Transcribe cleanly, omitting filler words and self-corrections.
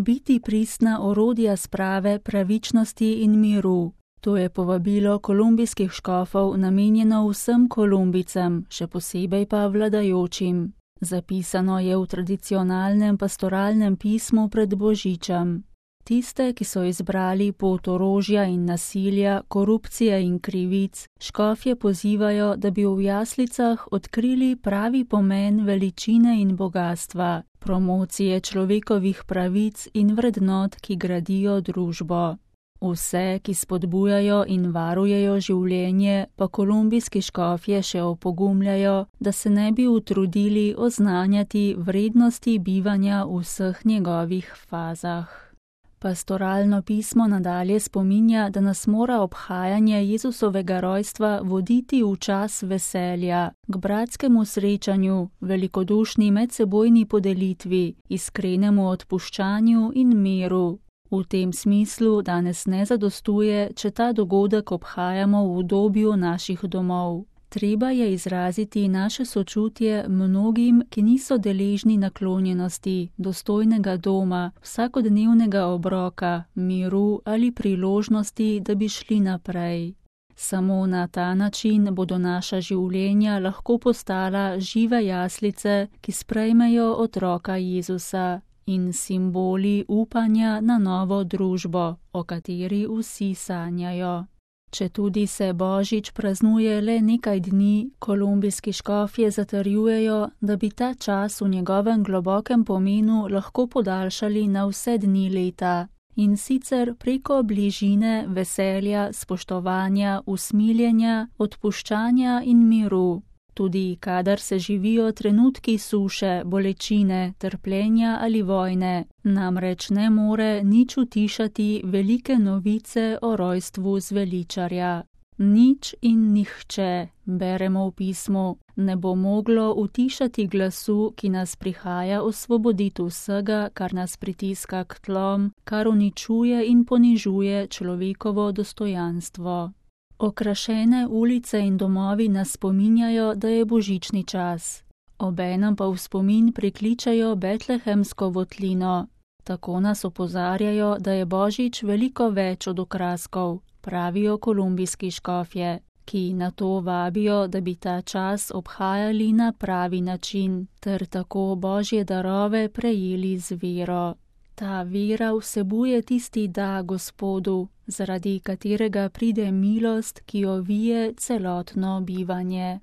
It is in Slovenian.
biti pristna orodja sprave, pravičnosti in miru. To je povabilo kolumbijskih škofov namenjeno vsem Kolumbicam, še posebej pa vladajočim. Zapisano je v tradicionalnem pastoralnem pismu pred Božičem. Tiste, ki so izbrali pot orožja in nasilja, korupcije in krivic, škofje pozivajo, da bi v jaslicah odkrili pravi pomen veličine in bogastva, promocije človekovih pravic in vrednot, ki gradijo družbo. Vse, ki spodbujajo in varujejo življenje, pa kolumbijski škofje še opogumljajo, da se ne bi utrudili oznanjati vrednosti bivanja v vseh njegovih fazah. Pastoralno pismo nadalje spominja, da nas mora obhajanje Jezusovega rojstva voditi v čas veselja, k bratskemu srečanju, velikodušni medsebojni podelitvi, iskrenemu odpuščanju in miru. V tem smislu danes ne zadostuje, če ta dogodek obhajamo v udobju naših domov. Treba je izraziti naše sočutje mnogim, ki niso deležni naklonjenosti, dostojnega doma, vsakodnevnega obroka, miru ali priložnosti, da bi šli naprej. Samo na ta način bodo naša življenja lahko postala žive jaslice, ki sprejmejo otroka Jezusa in simboli upanja na novo družbo, o kateri vsi sanjajo. Četudi se Božič praznuje le nekaj dni, kolumbijski škofje zatrjujejo, da bi ta čas v njegovem globokem pomenu lahko podaljšali na vse dni leta, in sicer preko bližine, veselja, spoštovanja, usmiljenja, odpuščanja in miru. Tudi kadar se živijo trenutki suše, bolečine, trpljenja ali vojne, namreč ne more nič utišati velike novice o rojstvu zveličarja. Nič in nihče, beremo v pismu, ne bo moglo utišati glasu, ki nas prihaja osvoboditi vsega, kar nas pritiska k tlom, kar uničuje in ponižuje človekovo dostojanstvo. Okrašene ulice in domovi nas spominjajo, da je božični čas. Obenem pa v spomin prikličajo betlehemsko votlino. Tako nas opozarjajo, da je Božič veliko več od okraskov, pravijo kolumbijski škofje, ki na to vabijo, da bi ta čas obhajali na pravi način, ter tako Božje darove prejeli z vero. Ta vera vsebuje tisti da Gospodu, zaradi katerega pride milost, ki ovije celotno bivanje.